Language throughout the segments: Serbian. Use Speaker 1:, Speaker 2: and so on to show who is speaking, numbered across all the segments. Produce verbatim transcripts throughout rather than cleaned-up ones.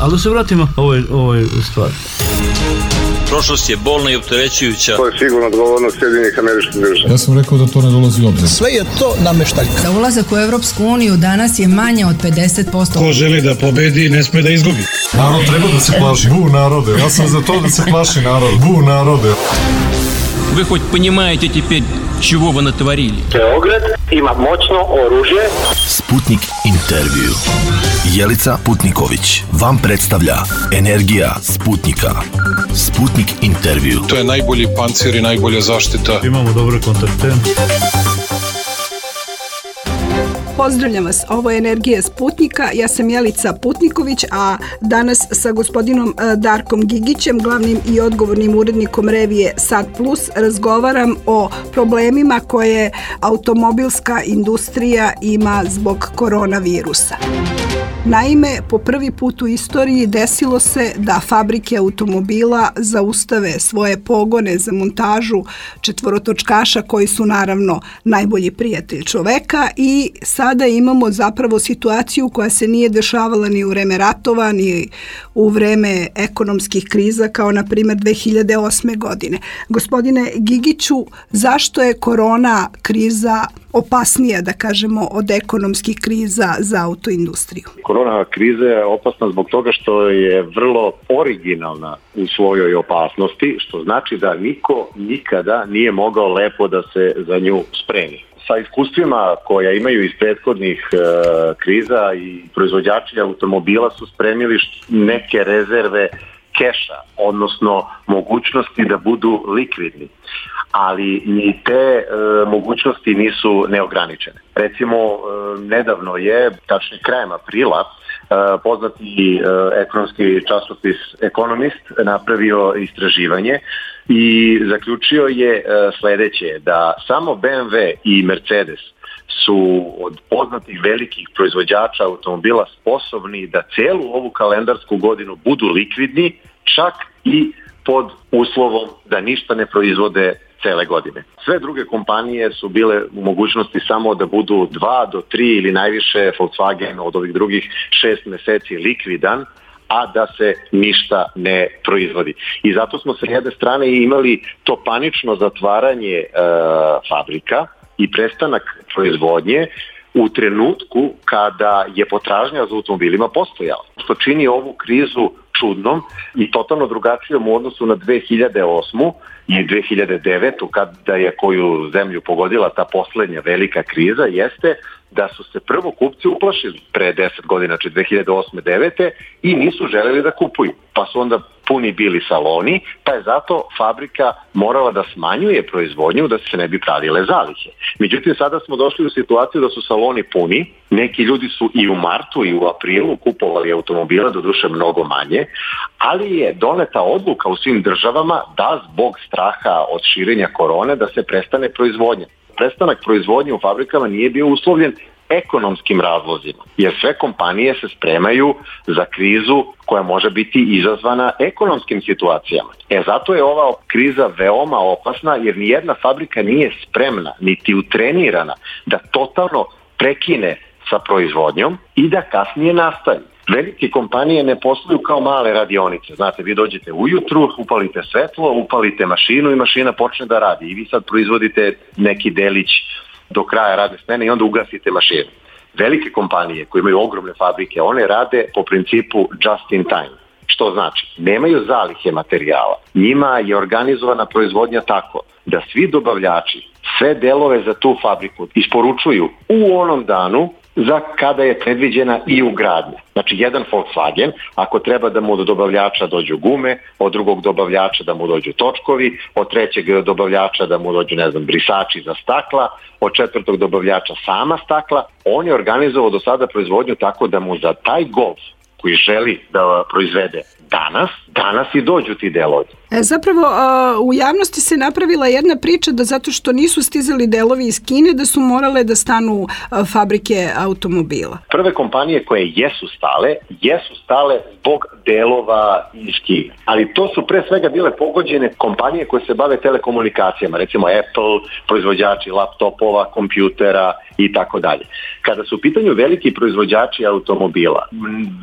Speaker 1: Ali da se vratimo ovoj, ovoj stvari.
Speaker 2: Prošlost je bolna i opterećujuća.
Speaker 3: To je sigurno odgovornost Sjedinjenih Američkih Država.
Speaker 4: Ja sam rekao da to ne dolazi u obzir.
Speaker 5: Sve je to nameštaljka.
Speaker 6: Za ulazak u Evropsku uniju danas je manje od pedeset posto.
Speaker 7: Ko želi da pobedi, ne sme da izgubi.
Speaker 4: Narod treba da se plaši. Bu narode. Ja sam za to da se plaši narod. Bu narode.
Speaker 8: Вы хоть понимаете теперь, чего вы натворили?
Speaker 9: Beograd ima moćno oružje.
Speaker 10: Sputnik intervju. Jelica Putniković vam predstavlja Energija Sputnika. Sputnik intervju.
Speaker 11: To je najbolji pancir i najbolja zaštita.
Speaker 1: Imamo dobre kontakte.
Speaker 12: Pozdravljam vas, ovo je Energija Sputnika, ja sam Jelica Putniković, a danas sa gospodinom Darkom Gigićem, glavnim i odgovornim urednikom revije Sat Plus, razgovaram o problemima koje automobilska industrija ima zbog koronavirusa. Naime, po prvi put u istoriji desilo se da fabrike automobila zaustave svoje pogone za montažu četvorotočkaša koji su naravno najbolji prijatelj čoveka i sada imamo zapravo situaciju koja se nije dešavala ni u vreme ratova, ni u vreme ekonomskih kriza kao na primjer dve hiljade osme. godine. Gospodine Gigiću, zašto je korona kriza opasnija, da kažemo, od ekonomskih kriza za autoindustriju?
Speaker 3: Korona kriza je opasna zbog toga što je vrlo originalna u svojoj opasnosti, što znači da niko nikada nije mogao lepo da se za nju spremi. Sa iskustvima koja imaju iz prethodnih e, kriza i proizvođači automobila su spremili neke rezerve keša, odnosno mogućnosti da budu likvidni. Ali ni te e, mogućnosti nisu neograničene. Recimo, e, nedavno je, tačnije krajem aprila, e, poznati e, ekonomski časopis Economist napravio istraživanje i zaključio je e, sledeće, da samo B M W i Mercedes su od poznatih velikih proizvođača automobila sposobni da celu ovu kalendarsku godinu budu likvidni, čak i pod uslovom da ništa ne proizvode cele godine. Sve druge kompanije su bile u mogućnosti samo da budu dva do tri ili najviše Volkswagen od ovih drugih šest meseci likvidan, a da se ništa ne proizvodi. I zato smo sa jedne strane imali to panično zatvaranje e, fabrika i prestanak proizvodnje u trenutku kada je potražnja za automobilima postojala. Što čini ovu krizu čudnom i totalno drugačijom u odnosu na dve hiljade osmu i dve hiljade devetu kada je koju zemlju pogodila ta poslednja velika kriza, jeste da su se prvo kupci uplašili pre deset godina, znači dve hiljade osme devete i nisu želeli da kupuju. Pa su onda puni bili saloni, pa je zato fabrika morala da smanjuje proizvodnju da se ne bi pravile zalihe. Međutim, sada smo došli u situaciju da su saloni puni, neki ljudi su i u martu i u aprilu kupovali automobila, doduše mnogo manje, ali je doneta odluka u svim državama da zbog straha od širenja korone da se prestane proizvodnja. Prestanak proizvodnje u fabrikama nije bio uslovljen ekonomskim razlozima, jer sve kompanije se spremaju za krizu koja može biti izazvana ekonomskim situacijama. E zato je ova kriza veoma opasna, jer nijedna fabrika nije spremna, niti utrenirana da totalno prekine sa proizvodnjom i da kasnije nastavi. Velike kompanije ne posluju kao male radionice. Znate, vi dođete ujutru, upalite svetlo, upalite mašinu i mašina počne da radi. I vi sad proizvodite neki delić do kraja radne smene i onda ugasite mašinu. Velike kompanije koje imaju ogromne fabrike, one rade po principu just in time. Što znači? Nemaju zalihe materijala. Njima je organizovana proizvodnja tako da svi dobavljači sve delove za tu fabriku isporučuju u onom danu za kada je predviđena i ugradnja. Znači, jedan Volkswagen, ako treba da mu od dobavljača dođu gume, od drugog dobavljača da mu dođu točkovi, od trećeg dobavljača da mu dođu, ne znam, brisači za stakla, od četvrtog dobavljača sama stakla, on je organizovao do sada proizvodnju tako da mu za taj Golf koji želi da proizvede danas, danas i dođu ti delovi.
Speaker 12: E, zapravo a, u javnosti se napravila jedna priča da zato što nisu stizali delovi iz Kine da su morale da stanu a, fabrike automobila.
Speaker 3: Prve kompanije koje jesu stale, jesu stale zbog delova iz Kine. Ali to su pre svega bile pogođene kompanije koje se bave telekomunikacijama, recimo Apple, proizvođači laptopova, kompjutera i tako dalje. Kada su u pitanju veliki proizvođači automobila, u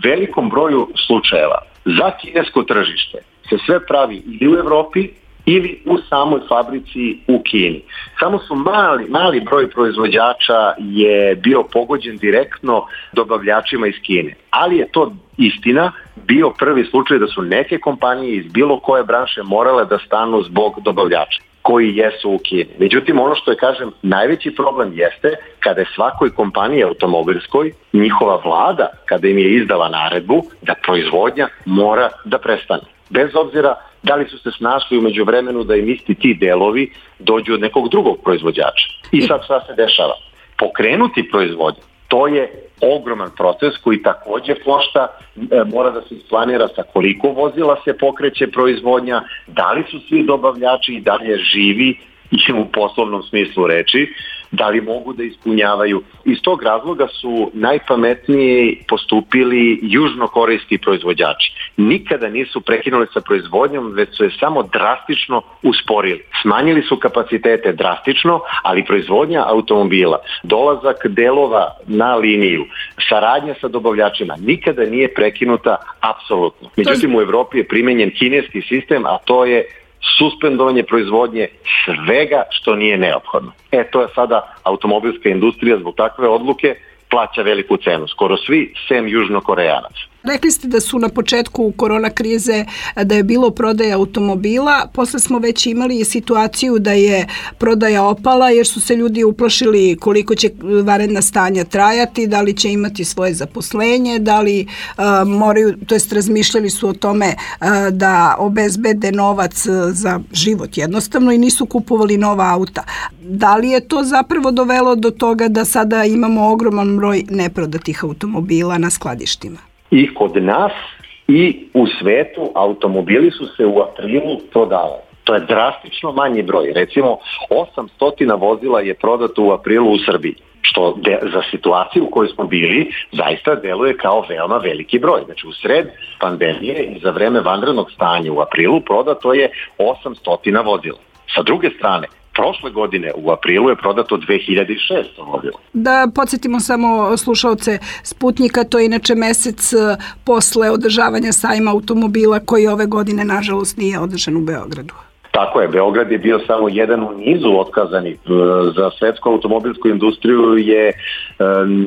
Speaker 3: velikom broju slučajeva za kinesko tržište se sve pravi ili u Evropi ili u samoj fabrici u Kini. Samo su mali, mali broj proizvođača je bio pogođen direktno dobavljačima iz Kine. Ali je to istina bio prvi slučaj da su neke kompanije iz bilo koje branše morale da stanu zbog dobavljača koji jesu u Kini. Međutim, ono što je, kažem, najveći problem jeste kada je svakoj kompaniji automobilskoj njihova vlada, kada im je izdala naredbu da proizvodnja mora da prestane. Bez obzira da li su se snašli umeđu vremenu da im isti ti delovi dođu od nekog drugog proizvođača. I sad šta se dešava? Pokrenuti proizvodnju, to je ogroman proces koji takođe košta, e, mora da se isplanira sa koliko vozila se pokreće proizvodnja, da li su svi dobavljači i dalje živi i u poslovnom smislu reči, da li mogu da ispunjavaju. Iz tog razloga su najpametnije postupili južnokorejski proizvođači. Nikada nisu prekinuli sa proizvodnjom, već su je samo drastično usporili. Smanjili su kapacitete drastično, ali proizvodnja automobila, dolazak delova na liniju, saradnja sa dobavljačima nikada nije prekinuta apsolutno. Međutim, u Evropi je primenjen kineski sistem, a to je suspendovanje proizvodnje svega što nije neophodno. E, to je sada automobilska industrija zbog takve odluke plaća veliku cenu. Skoro svi, sem Južnokorejanaca.
Speaker 12: Rekli ste da su na početku korona krize da je bilo prodaja automobila, posle smo već imali situaciju da je prodaja opala jer su se ljudi uplašili koliko će vanredna stanja trajati, da li će imati svoje zaposlenje, da li uh, moraju, to jest razmišljali su o tome uh, da obezbede novac za život jednostavno i nisu kupovali nova auta. Da li je to zapravo dovelo do toga da sada imamo ogroman broj neprodatih automobila na skladištima?
Speaker 3: I kod nas i u svetu automobili su se u aprilu prodavali. To je drastično manji broj. Recimo, osamsto vozila je prodato u aprilu u Srbiji, što de, za situaciju u kojoj smo bili zaista deluje kao veoma veliki broj. Znači, u sred pandemije i za vreme vanrednog stanja u aprilu prodato je osamsto vozila. Sa druge strane, prošle godine u aprilu je prodato dve hiljade šesto vozila.
Speaker 12: Da podsjetimo samo slušaoce Sputnika, to je inače mesec posle održavanja sajma automobila koji ove godine nažalost nije održan u Beogradu.
Speaker 3: Tako je, Beograd je bio samo jedan u nizu otkazanih. Za svetsku automobilsku industriju je e,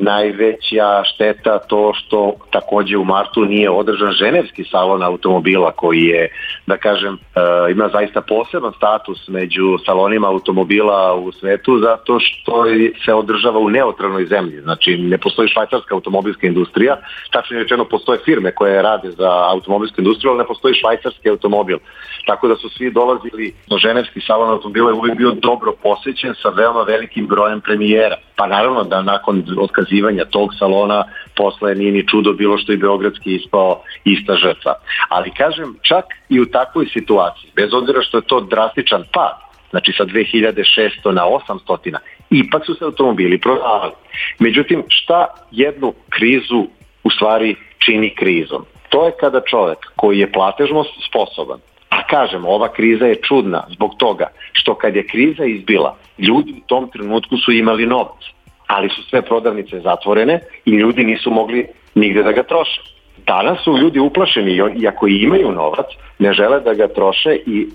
Speaker 3: najveća šteta to što takođe u martu nije održan ženevski salon automobila koji je, da kažem, e, ima zaista poseban status među salonima automobila u svetu zato što se održava u neutralnoj zemlji. Znači, ne postoji švajcarska automobilska industrija, tačno rečeno postoje firme koje rade za automobilsku industriju, ali ne postoji švajcarski automobil. Tako da su svi dolazili do ženevski salon automobila je uvijek bio dobro posećen sa veoma velikim brojem premijera. Pa naravno da nakon otkazivanja tog salona posle nije ni čudo bilo što i beogradski ispao ista žrtva. Ali kažem, čak i u takvoj situaciji, bez obzira što je to drastičan pad, znači sa dve hiljade šesto na osamsto, ipak su se automobili prodavali. Međutim, šta jednu krizu u stvari čini krizom? To je kada čovek koji je platežno sposoban, a kažem, ova kriza je čudna zbog toga što kad je kriza izbila, ljudi u tom trenutku su imali novac, ali su sve prodavnice zatvorene i ljudi nisu mogli nigde da ga troše. Danas su ljudi uplašeni i ako imaju novac, ne žele da ga troše i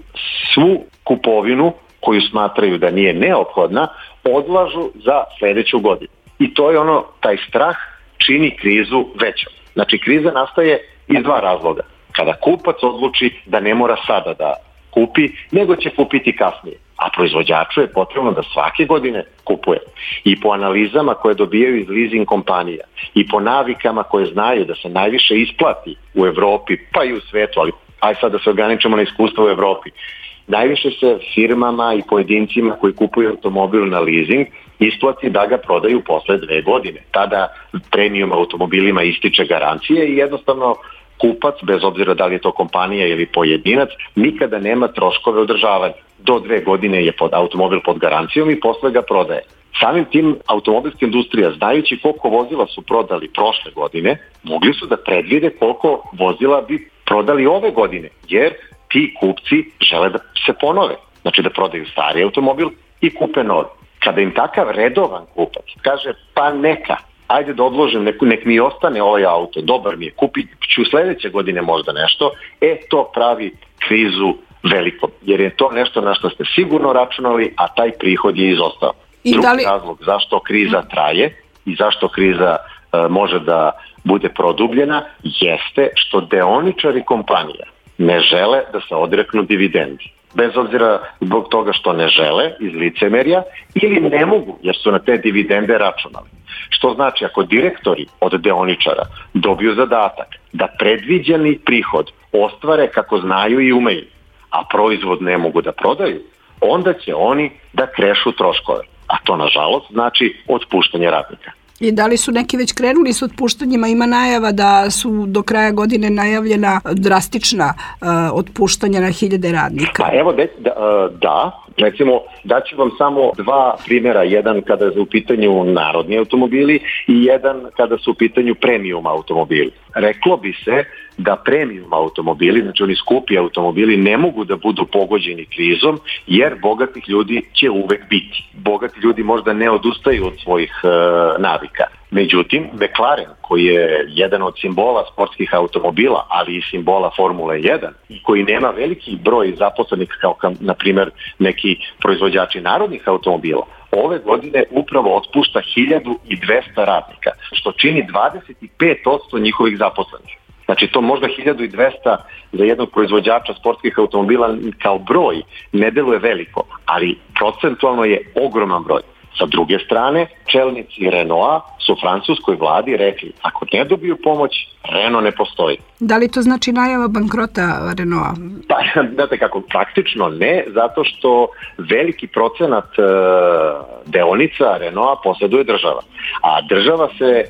Speaker 3: svu kupovinu koju smatraju da nije neophodna, odlažu za sledeću godinu. I to je ono, taj strah čini krizu većom. Znači, kriza nastaje iz dva razloga. Kada kupac odluči da ne mora sada da kupi, nego će kupiti kasnije. A proizvođaču je potrebno da svake godine kupuje. I po analizama koje dobijaju iz leasing kompanija i po navikama koje znaju da se najviše isplati u Evropi, pa i u svetu, ali aj sad da se ograničimo na iskustvo u Evropi, najviše se firmama i pojedincima koji kupuju automobil na leasing isplati da ga prodaju posle dve godine. Tada premium automobilima ističe garancije i jednostavno kupac, bez obzira da li je to kompanija ili pojedinac, nikada nema troškove održavanja. Do dve godine je pod automobil pod garancijom i posle ga prodaje. Samim tim automobilska industrija, znajući koliko vozila su prodali prošle godine, mogli su da predvide koliko vozila bi prodali ove godine, jer ti kupci žele da se ponove, znači da prodaju stari automobil i kupe novi. Kada im takav redovan kupac kaže pa neka, ajde da odložim, nek, nek mi ostane ovaj auto, dobar mi je, kupit ću sledeće godine možda nešto, e to pravi krizu velikom, jer je to nešto na što ste sigurno računali, a taj prihod je izostao. I Drugi li... razlog zašto kriza traje i zašto kriza e, može da bude produbljena jeste što deoničari kompanija ne žele da se odreknu dividendi. Bez obzira zbog toga što ne žele iz licemerja ili ne mogu jer su na te dividende računali. Što znači ako direktori od deoničara dobiju zadatak da predviđeni prihod ostvare kako znaju i umeju, a proizvod ne mogu da prodaju, onda će oni da krešu troškove. A to nažalost znači otpuštanje radnika.
Speaker 12: I da li su neki već krenuli s otpuštanjima? Ima najava da su do kraja godine najavljena drastična uh, otpuštanja na hiljade radnika.
Speaker 3: Pa evo, da, da, recimo daću vam samo dva primjera, jedan kada su u pitanju narodni automobili i jedan kada su u pitanju premium automobili. Reklo bi se da premium automobili, znači oni skupi automobili, ne mogu da budu pogođeni krizom jer bogatih ljudi će uvek biti. Bogati ljudi možda ne odustaju od svojih e, navika. Međutim, McLaren, koji je jedan od simbola sportskih automobila, ali i simbola Formule jedan, i koji nema veliki broj zaposlenih kao, kao na primjer, neki proizvođači narodnih automobila, ove godine upravo otpušta hiljadu dvesta radnika, što čini dvadeset pet posto njihovih zaposlenih. Znači to možda hiljadu dvesta za jednog proizvođača sportskih automobila kao broj ne deluje veliko, ali procentualno je ogroman broj. Sa druge strane, čelnici Renaulta su francuskoj vladi rekli, ako ne dobiju pomoć, Renault ne postoji.
Speaker 12: Da li to znači najava bankrota Renaulta?
Speaker 3: Pa, znate kako, praktično ne, zato što veliki procenat e, deonica Renaulta posjeduje država. A država se e,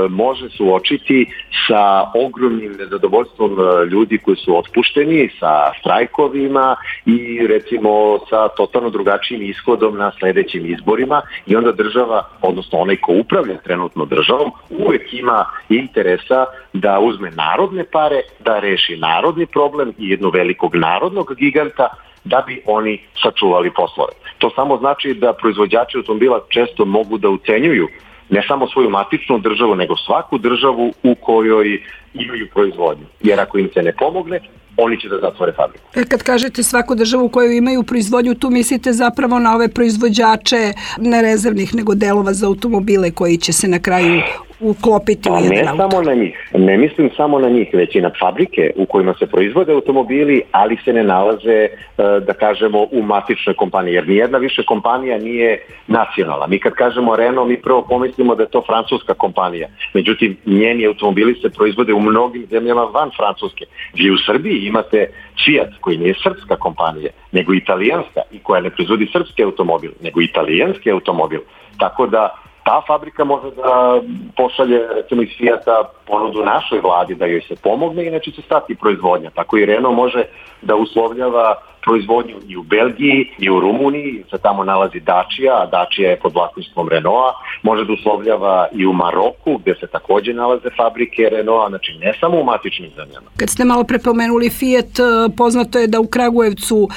Speaker 3: može suočiti sa ogromnim nezadovoljstvom ljudi koji su otpušteni, sa štrajkovima i recimo sa totalno drugačijim ishodom na sledećim izborima i onda država, odnosno onaj ko upravlja trenutno državom, uvek ima interesa da uzme narodne pare, da reši narodni problem i jednog velikog narodnog giganta da bi oni sačuvali poslove. To samo znači da proizvođači automobila često mogu da ucenjuju ne samo svoju matičnu državu, nego svaku državu u kojoj imaju proizvodnju. Jer ako im se ne pomogne, oni će da zatvore fabriku.
Speaker 12: E kad kažete svaku državu u kojoj imaju proizvodnju, tu mislite zapravo na ove proizvođače ne rezervnih, nego delova za automobile koji će se na kraju uklopiti
Speaker 3: pa
Speaker 12: u jedan
Speaker 3: ne
Speaker 12: auto.
Speaker 3: Samo na njih. Ne mislim samo na njih, već i na fabrike u kojima se proizvode automobili, ali se ne nalaze, da kažemo, u matičnoj kompaniji. Jer nijedna više kompanija nije nacionalna. Mi kad kažemo Renault, mi prvo pomislimo da je to francuska kompanija. Međutim, njeni automobili se proizvode u mnogim zemljama van Francuske. Vi u Srbiji imate Fiat, koji nije srpska kompanija, nego italijanska, i koja ne proizvodi srpski automobil, nego italijanski automobil. Tako da ta fabrika može da pošalje, recimo iz Fiata, ponudu našoj vladi da joj se pomogne, inače će stati proizvodnja. Tako i Renault može da uslovljava proizvodnju i u Belgiji i u Rumuniji, se tamo nalazi Dacia, a Dacia je pod vlasništvom Renaulta, može da uslovljava i u Maroku, gde se takođe nalaze fabrike Renaulta, znači ne samo u matičnim zemljama.
Speaker 12: Kad ste malo prepomenuli Fiat, poznato je da u Kragujevcu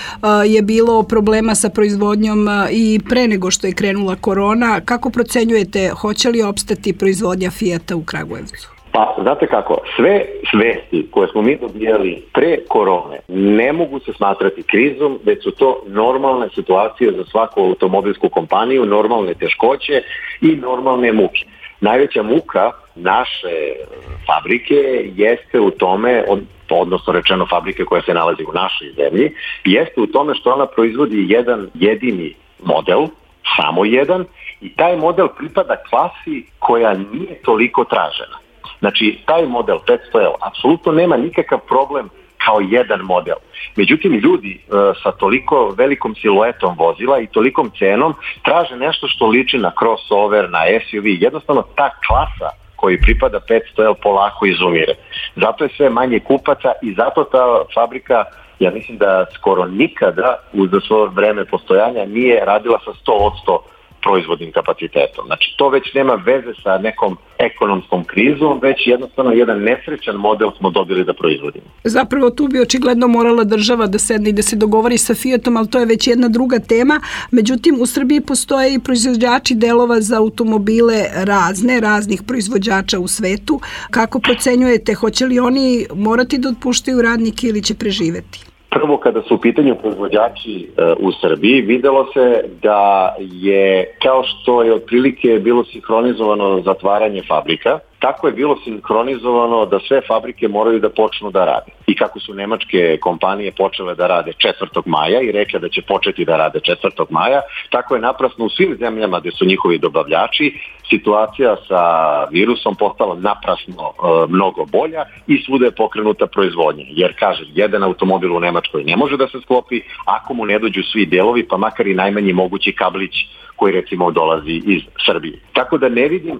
Speaker 12: je bilo problema sa proizvodnjom i pre nego što je krenula korona. Kako procenjujete, hoće li opstati proizvodnja Fiata u Kragujevcu?
Speaker 3: Pa, znate kako, sve svesti koje smo mi dobijali pre korone ne mogu se smatrati krizom, već su to normalne situacije za svaku automobilsku kompaniju, normalne teškoće i normalne muke. Najveća muka naše fabrike jeste u tome, odnosno rečeno fabrike koja se nalazi u našoj zemlji, jeste u tome što ona proizvodi jedan jedini model, samo jedan, i taj model pripada klasi koja nije toliko tražena. Znači, taj model petsto L apsolutno nema nikakav problem kao jedan model. Međutim, ljudi e, sa toliko velikom siluetom vozila i tolikom cenom traže nešto što liči na crossover, na S U V. Jednostavno, ta klasa koji pripada petsto el polako izumire. Zato je sve manje kupaca i zato ta fabrika, ja mislim da skoro nikada uz svoje vreme postojanja nije radila sa sto posto proizvodnim kapacitetom. Znači, to već nema veze sa nekom ekonomskom krizom, već jednostavno jedan nesrećan model smo dobili da proizvodimo.
Speaker 12: Zapravo tu bi očigledno morala država da sedne i da se dogovori sa Fiatom, ali to je već jedna druga tema. Međutim, u Srbiji postoje i proizvođači delova za automobile razne, raznih proizvođača u svetu. Kako procenjujete, hoće li oni morati da otpuštaju radnike ili će preživeti?
Speaker 3: Prvo, kada su u pitanju proizvođači e, u Srbiji, videlo se da je, kao što je otprilike bilo sinhronizovano zatvaranje fabrika, tako je bilo sinhronizovano da sve fabrike moraju da počnu da rade. I kako su nemačke kompanije počele da rade četvrtog maja i rekle da će početi da rade četvrtog maja, tako je naprasno u svim zemljama gde su njihovi dobavljači situacija sa virusom postala naprasno e, mnogo bolja i svuda je pokrenuta proizvodnja. Jer, kažem, jedan automobil u Nemačkoj ne može da se sklopi ako mu ne dođu svi delovi, pa makar i najmanji mogući kablić koji recimo dolazi iz Srbije. Tako da ne vidim e,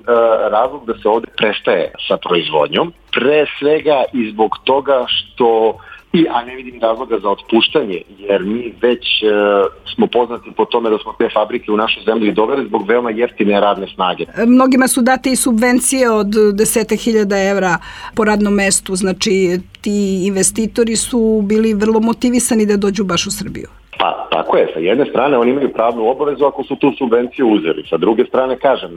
Speaker 3: razlog da se ovde prestaje sa proizvodnjom, pre svega i zbog toga što, i, a ne vidim razloga za otpuštanje, jer mi već e, smo poznati po tome da smo te fabrike u našu zemlju doveli zbog veoma jeftine radne snage.
Speaker 12: Mnogima su date i subvencije od deset hiljada evra po radnom mestu, znači ti investitori su bili vrlo motivisani da dođu baš u Srbiju.
Speaker 3: Pa, tako je, sa jedne strane oni imaju pravnu obavezu ako su tu subvenciju uzeli. Sa druge strane, kažem,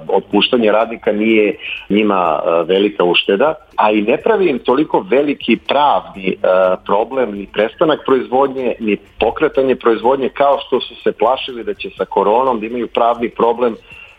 Speaker 3: otpuštanje radnika nije njima velika ušteda, a i ne pravi im toliko veliki pravni problem ni prestanak proizvodnje, ni pokretanje proizvodnje, kao što su se plašili da će sa koronom da imaju pravni problem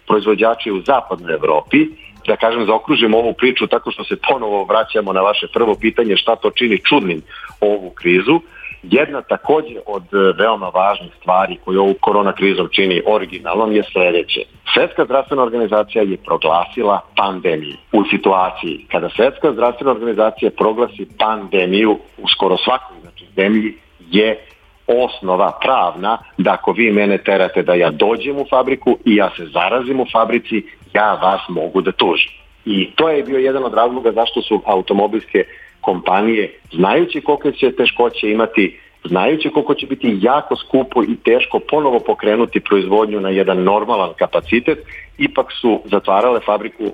Speaker 3: proizvođači u zapadnoj Evropi. Da kažem, zaokružimo ovu priču tako što se ponovo vraćamo na vaše prvo pitanje šta to čini čudnim ovu krizu. Jedna takođe od veoma važnih stvari koju ovu korona krizom čini originalnom je sledeće. Svetska zdravstvena organizacija je proglasila pandemiju. U situaciji kada Svetska zdravstvena organizacija proglasi pandemiju u skoro svakoj znači, zemlji je osnova pravna da ako vi mene terate da ja dođem u fabriku i ja se zarazim u fabrici, ja vas mogu da tužim. I to je bio jedan od razloga zašto su automobilske kompanije, znajući kolike će teškoće imati, znajući koliko će biti jako skupo i teško ponovo pokrenuti proizvodnju na jedan normalan kapacitet, ipak su zatvarale fabriku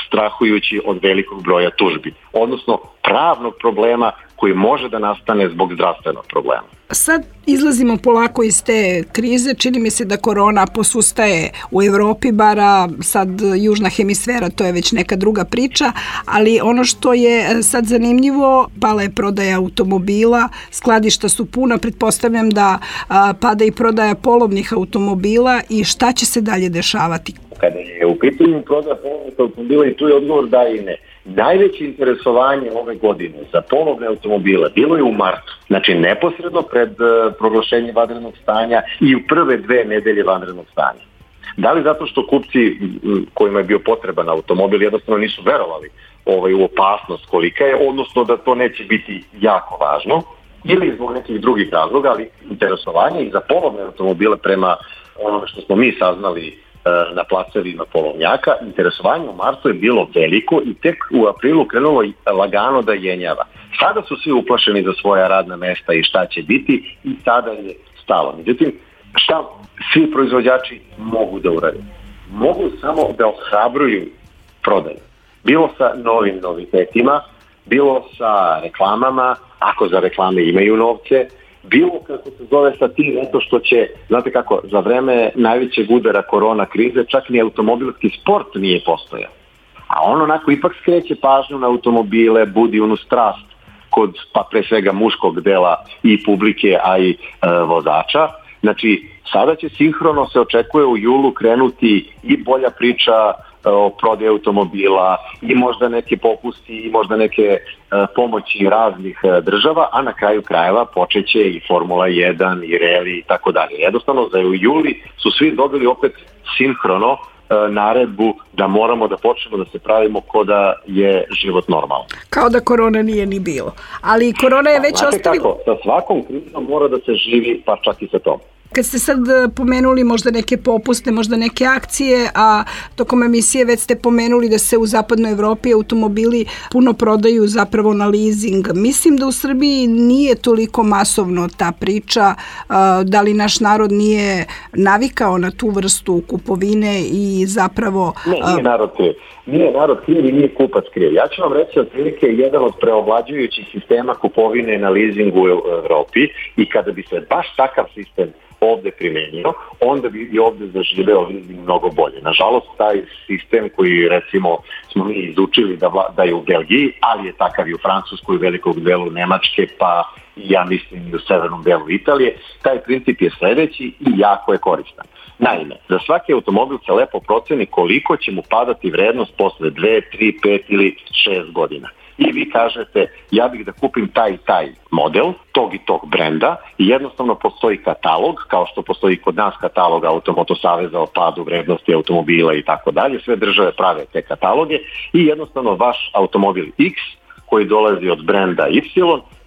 Speaker 3: strahujući od velikog broja tužbi, odnosno pravnog problema koji može da nastane zbog zdravstvenog problema.
Speaker 12: Sad izlazimo polako iz te krize, čini mi se da korona posustaje u Evropi, bara sad južna hemisfera, to je već neka druga priča, ali ono što je sad zanimljivo, pala je prodaja automobila, skladišta su puna, pretpostavljam da a, pada i prodaja polovnih automobila i šta će se dalje dešavati?
Speaker 3: Kada je u pitanju prodaja polovnih automobila i tu je odgovor da i ne. Najveće interesovanje ove godine za polovne automobile bilo je u martu, znači neposredno pred uh, proglašenje vanrednog stanja i u prve dve nedelje vanrednog stanja. Da li zato što kupci kojima je bio potreban automobil jednostavno nisu verovali ovaj, u opasnost kolika je, odnosno da to neće biti jako važno, ili zbog nekih drugih razloga, ali interesovanje i za polovne automobile prema onome što smo mi saznali na placevima polovnjaka, interesovanje u martu je bilo veliko i tek u aprilu krenulo lagano da jenjava. Sada su svi uplašeni za svoja radna mesta i šta će biti i sada je stalo. Međutim, šta svi proizvođači mogu da urade? Mogu samo da ohrabruju prodaju. Bilo sa novim novitetima, bilo sa reklamama, ako za reklame imaju novce, bilo kako se zove sa tim, eto što će, znate kako, za vreme najvećeg udara korona krize čak ni automobilski sport nije postojao. A on onako ipak skreće pažnju na automobile, budi onu strast kod pa pre svega muškog dela i publike, a i e, vozača. Znači, sada će sinhrono se očekuje u julu krenuti i bolja priča o prodaji automobila i možda neke popusti i možda neke uh, pomoći raznih uh, država, a na kraju krajeva počeće i Formula jedan i reli i tako dalje. Jednostavno za u juli su svi dobili opet sinhrono uh, naredbu da moramo da počnemo da se pravimo ko da je život normalan.
Speaker 12: Kao da korona nije ni bilo. Ali korona je već
Speaker 3: ostavila...
Speaker 12: ostavila...
Speaker 3: Sa svakom krizom mora da se živi, pa čak i sa tom.
Speaker 12: Kad ste sad pomenuli možda neke popuste, možda neke akcije, a tokom emisije već ste pomenuli da se u zapadnoj Evropi automobili puno prodaju zapravo na leasing. Mislim da u Srbiji nije toliko masovno ta priča, da li naš narod nije navikao na tu vrstu kupovine i zapravo...
Speaker 3: Ne, nije narod kriv. Nije narod kriv i nije kupac kriv. Ja ću vam reći otprilike jedan od preovlađujućih sistema kupovine na leasingu u Evropi i kada bi se baš takav sistem ovde primenio, onda bi i ovde zaživeo leasing mnogo bolje. Nažalost, taj sistem koji recimo smo mi izučili da, vla, da je u Belgiji, ali je takav i u Francuskoj, u velikog delu Nemačke, pa ja mislim i u severnom delu Italije, taj princip je sledeći i jako je koristan. Naime, za svaki automobil se lepo proceni koliko će mu padati vrednost posle dve, tri, pet ili šest godina. I vi kažete, ja bih da kupim taj i taj model, tog i tog brenda i jednostavno postoji katalog, kao što postoji kod nas katalog Automoto Saveza o padu vrednosti automobila i tako dalje, sve države prave te kataloge i jednostavno vaš automobil X koji dolazi od brenda Y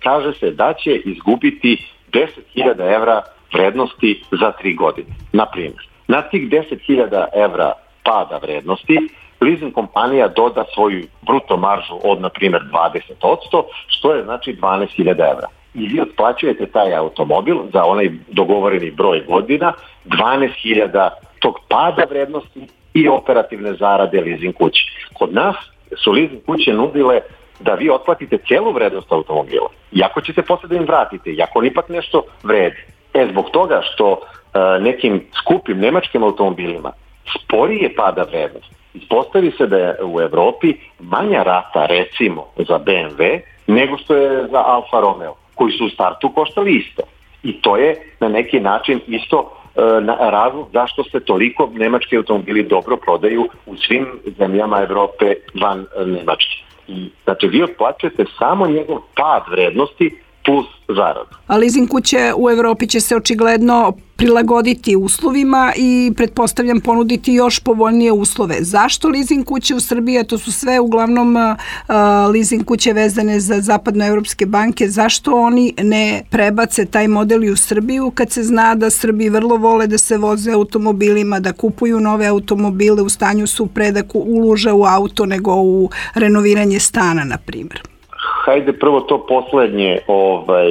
Speaker 3: kaže se da će izgubiti deset hiljada evra vrednosti za tri godine. Naprimjer, na tih deset hiljada evra pada vrednosti leasing kompanija doda svoju bruto maržu od, na primjer, dvadeset posto, što je znači dvanaest hiljada evra. I vi otplaćujete taj automobil za onaj dogovoreni broj godina, dvanaest hiljada tog pada vrednosti i operativne zarade leasing kuće. Kod nas su leasing kuće nudile da vi otplatite celu vrednost automobila. Iako ćete posle da im vratite, iako on ipak nešto vredi. E, zbog toga što e, nekim skupim nemačkim automobilima sporije pada vrednost, ispostavi se da je u Evropi manja rata recimo za B M W nego što je za Alfa Romeo, koji su u startu koštali isto. I to je na neki način isto e, na, razlog zašto se toliko nemački automobili dobro prodaju u svim zemljama Evrope van Nemačke. I, znači, vi otplaćujete samo njegov pad vrednosti plus zaradu.
Speaker 12: A leasing kuće u Evropi će se očigledno prilagoditi uslovima i pretpostavljam ponuditi još povoljnije uslove. Zašto leasing kuće u Srbiji, a to su sve uglavnom uh, leasing kuće vezane za zapadnoevropske banke, zašto oni ne prebace taj model i u Srbiju kad se zna da Srbi vrlo vole da se voze automobilima, da kupuju nove automobile, u stanju su pre da ulože u auto nego u renoviranje stana, na primjer?
Speaker 3: Hajde prvo to poslednje, ovaj,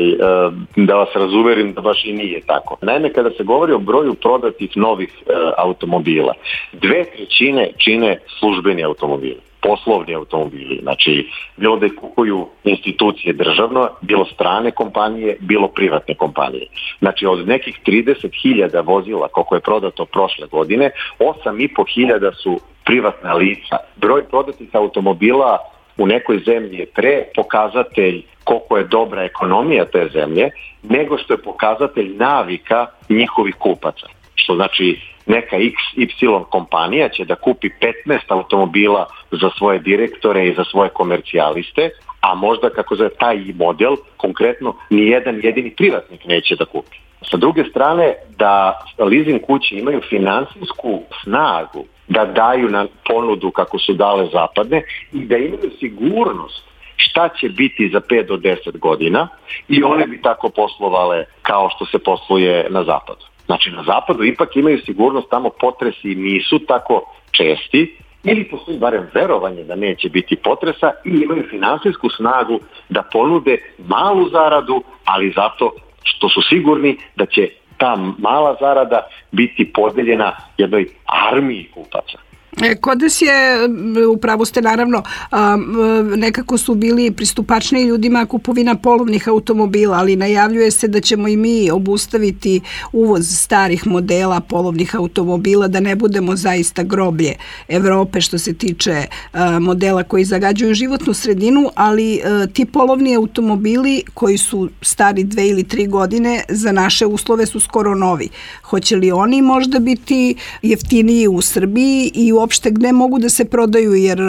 Speaker 3: da vas razuverim da baš i nije tako. Naime, kada se govori o broju prodatih novih e, automobila, dve trećine čine službeni automobili, poslovni automobili. Znači, bilo da ih kupuju institucije državno, bilo strane kompanije, bilo privatne kompanije. Znači, od nekih trideset hiljada vozila koliko je prodato prošle godine, osam i po hiljada su privatna lica. Broj prodatih automobila u nekoj zemlji je pre pokazatelj koliko je dobra ekonomija te zemlje, nego što je pokazatelj navika njihovih kupaca. Što znači neka iks ipsilon kompanija će da kupi petnaest automobila za svoje direktore i za svoje komercijaliste, a možda kako za taj model konkretno nijedan jedini privatnik neće da kupi. Sa druge strane, da leasing kuće imaju finansijsku snagu da daju na ponudu kako su dale zapadne i da imaju sigurnost šta će biti za pet do deset godina i one bi tako poslovale kao što se posluje na zapadu. Znači na zapadu ipak imaju sigurnost, tamo potresi nisu tako česti ili postoji barem verovanje da neće biti potresa i imaju finansijsku snagu da ponude malu zaradu, ali zato što su sigurni da će ta mala zarada biti podeljena jednoj armiji kupaca.
Speaker 12: Kod nas je, upravo ste naravno, nekako su bili pristupačniji ljudima kupovina polovnih automobila, ali najavljuje se da ćemo i mi obustaviti uvoz starih modela polovnih automobila, da ne budemo zaista groblje Evrope što se tiče modela koji zagađuju životnu sredinu, ali ti polovni automobili koji su stari dve ili tri godine za naše uslove su skoro novi. Hoće li oni možda biti jeftiniji u Srbiji i u uopšte gde mogu da se prodaju, jer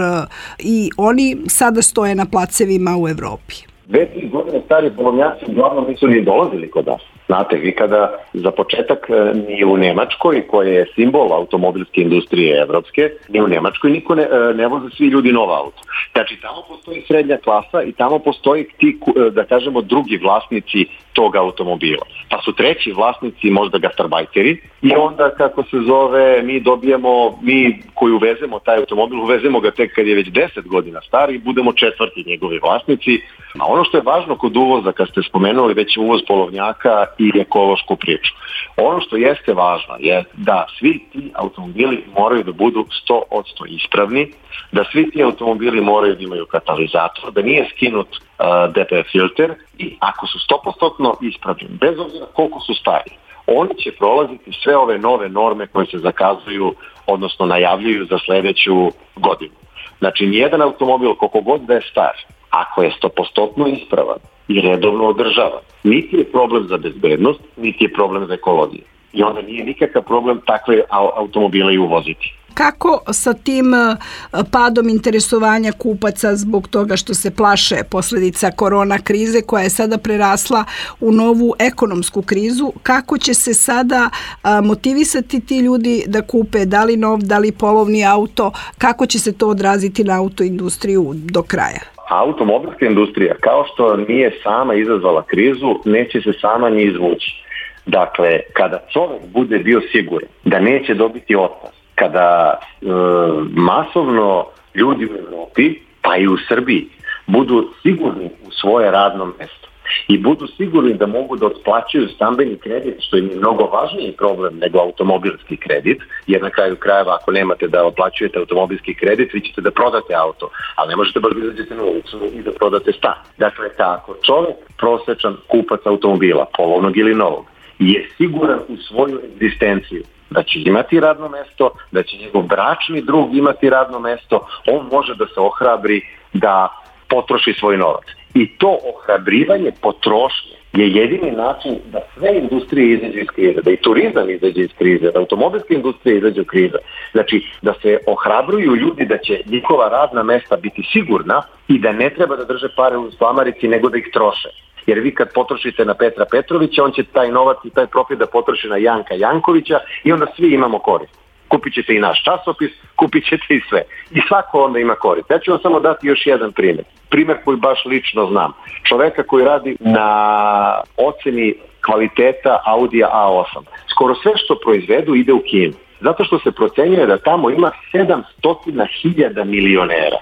Speaker 12: i oni sada stoje na placevima u Evropi?
Speaker 3: Dve, tri godine stari polovnjaci uglavnom nisu ni dolazili kod nas. Znate, vi kada za početak ni u Nemačkoj, koja je simbol automobilske industrije evropske, ni u Nemačkoj niko ne, ne voze svi ljudi nova auto. Znači, tamo postoji srednja klasa i tamo postoji ti, da kažemo, drugi vlasnici tog automobila. Pa su treći vlasnici možda gastarbajteri i onda, kako se zove, mi dobijemo, mi koji uvezemo taj automobil, uvezemo ga tek kad je već deset godina star i budemo četvrti njegovi vlasnici. A ono što je važno kod uvoza, kad ste spomenuli već uvoz polovnjaka i ekološku priču, ono što jeste važno je da svi ti automobili moraju da budu sto posto ispravni, da svi ti automobili moraju da imaju katalizator, da nije skinut uh, D P F filter i ako su sto posto ispravni, bez obzira koliko su stari, oni će prolaziti sve ove nove norme koje se zakazuju, odnosno najavljuju za sledeću godinu. Znači, nijedan automobil, koliko god da je star, ako je sto posto ispravan i redovno održavan, niti je problem za bezbednost, niti je problem za ekologiju. I onda nije nikakav problem takve automobile i uvoziti.
Speaker 12: Kako sa tim padom interesovanja kupaca zbog toga što se plaše posljedica korona krize koja je sada prerasla u novu ekonomsku krizu, kako će se sada motivisati ti ljudi da kupe da li nov, da li polovni auto, kako će se to odraziti na autoindustriju do kraja?
Speaker 3: Automobilska industrija, kao što nije sama izazvala krizu, neće se sama ni izvući. Dakle, kada čovjek bude bio siguran da neće dobiti otkaz, kada e, masovno ljudi u Evropi, pa i u Srbiji, budu sigurni u svoje radno mesto i budu sigurni da mogu da otplaćuju stambeni kredit, što je mnogo važniji problem nego automobilski kredit, jer na kraju krajeva ako nemate da otplaćujete automobilski kredit, vi ćete da prodate auto, ali ne možete baš da izađete na ulicu i da prodate stan. Dakle, tako, čovjek, prosečan kupac automobila, polovnog ili novog, je siguran u svoju egzistenciju, da će imati radno mesto, da će njegov bračni drug imati radno mesto, on može da se ohrabri da potroši svoj novac. I to ohrabrivanje potrošnje je jedini način da sve industrije izađe iz krize, da i turizam izađe iz krize, da automobilska industrija izađe iz krize. Znači, da se ohrabruju ljudi da će njihova radna mesta biti sigurna i da ne treba da drže pare u slamarici, nego da ih troše. Jer vi kad potrošite na Petra Petrovića, on će taj novac i taj profit da potroši na Janka Jankovića i onda svi imamo korist. Kupit ćete i naš časopis, kupit ćete i sve. I svako onda ima korist. Ja ću vam samo dati još jedan primjer. Primjer koji baš lično znam. Čoveka koji radi na oceni kvaliteta Audija A osam. Skoro sve što proizvedu ide u Kinu. Zato što se procenjuje da tamo ima sedamsto hiljada milionera.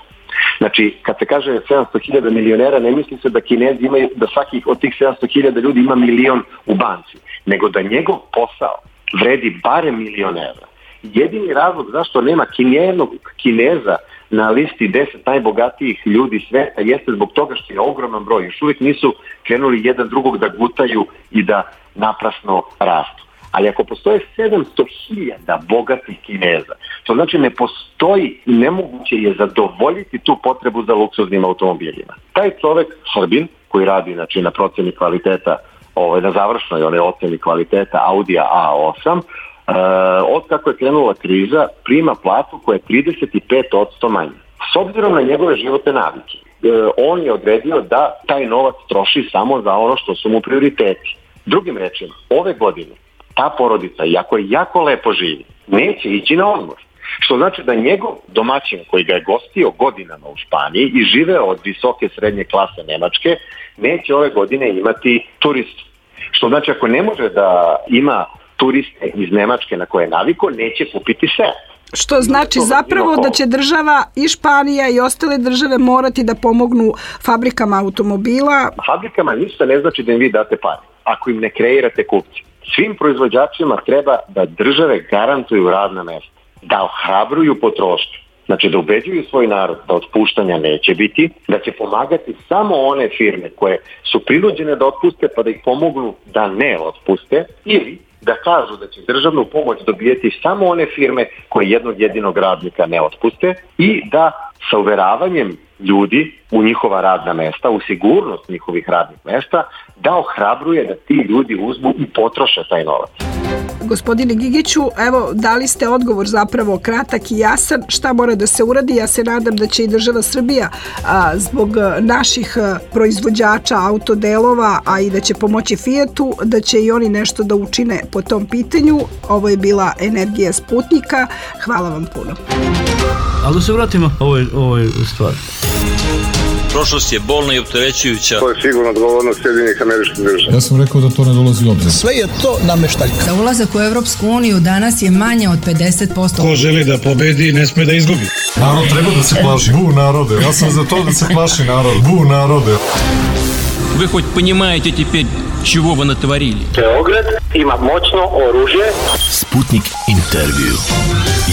Speaker 3: Znači, kad se kaže sedamsto hiljada milionera, ne misli se da Kinezi imaju, da svakih od tih sedamsto hiljada ljudi ima milion u banci, nego da njegov posao vredi barem milion evra. Jedini razlog zašto nema nijednog Kineza na listi deset najbogatijih ljudi sveta jeste zbog toga što je ogroman broj. Još uvijek nisu krenuli jedan drugog da gutaju i da naprasno rastu. Ali ako postoje sedamsto hiljada bogatih Kineza, to znači ne postoji i nemoguće je zadovoljiti tu potrebu za luksuznim automobilima. Taj čovek, Srbin, koji radi znači, na proceni kvaliteta, ovaj, na završnoj one oceni kvaliteta Audija A osam, Uh, od kako je krenula kriza, prima platu koja je trideset pet posto manje. S obzirom na njegove životne navike, uh, on je odredio da taj novac troši samo za ono što su mu prioriteti. Drugim rečima, ove godine ta porodica, iako je jako lepo živi, neće ići na odmor. Što znači da njegov domaćin koji ga je gostio godinama u Španiji i živeo od visoke srednje klase Nemačke, neće ove godine imati turistu. Što znači ako ne može da ima turiste iz Nemačke na koje je naviko, neće kupiti sve.
Speaker 12: Što znači zapravo da će država i Španija i ostale države morati da pomognu fabrikama automobila?
Speaker 3: Fabrikama ništa ne znači da im vi date pare, ako im ne kreirate kupci. Svim proizvođačima treba da države garantuju radna mesta, da ohrabruju potrošnju. Znači da ubeđuju svoj narod da otpuštanja neće biti, da će pomagati samo one firme koje su prinuđene da otpuste pa da ih pomognu da ne otpuste, ili da kažu da će državnu pomoć dobijeti samo one firme koje jednog jedinog radnika ne otpuste i da sa uveravanjem ljudi u njihova radna mesta, u sigurnost njihovih radnih mesta, da ohrabruje da ti ljudi uzmu i potroše taj novac.
Speaker 12: Gospodine Gigiću, evo, dali ste odgovor zapravo kratak i jasan šta mora da se uradi. Ja se nadam da će i država Srbija a, zbog naših a, proizvođača autodelova, a i da će pomoći Fijatu, da će i oni nešto da učine po tom pitanju. Ovo je bila Energija Sputnika. Hvala vam puno.
Speaker 1: Ali da se vratimo ovoj, ovoj stvari.
Speaker 2: Prošlost je bolna i opterećujuća.
Speaker 3: To je sigurno odgovornost Sjedinjenih Američkih Država.
Speaker 4: Ja sam rekao da to ne dolazi u obzir.
Speaker 7: Sve je to nameštaljka.
Speaker 6: Za ulazak u Evropsku uniju danas je manje od pedeset posto.
Speaker 7: Ko želi da pobedi, ne sme da izgubi.
Speaker 4: Narod treba da se plaši. Bu narode, ja sam za to da se plaši narod. Bu narode.
Speaker 8: Вы хоть понимаете теперь, чего вы натворили?
Speaker 9: Beograd ima moćno oružje.
Speaker 10: Sputnik intervju.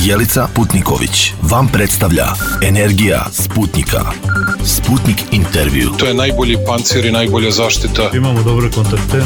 Speaker 10: Jelica Putniković vam predstavlja Energija Sputnika. Sputnik intervju.
Speaker 11: To je najbolji pancir i najbolja zaštita.
Speaker 1: Imamo dobre kontakte.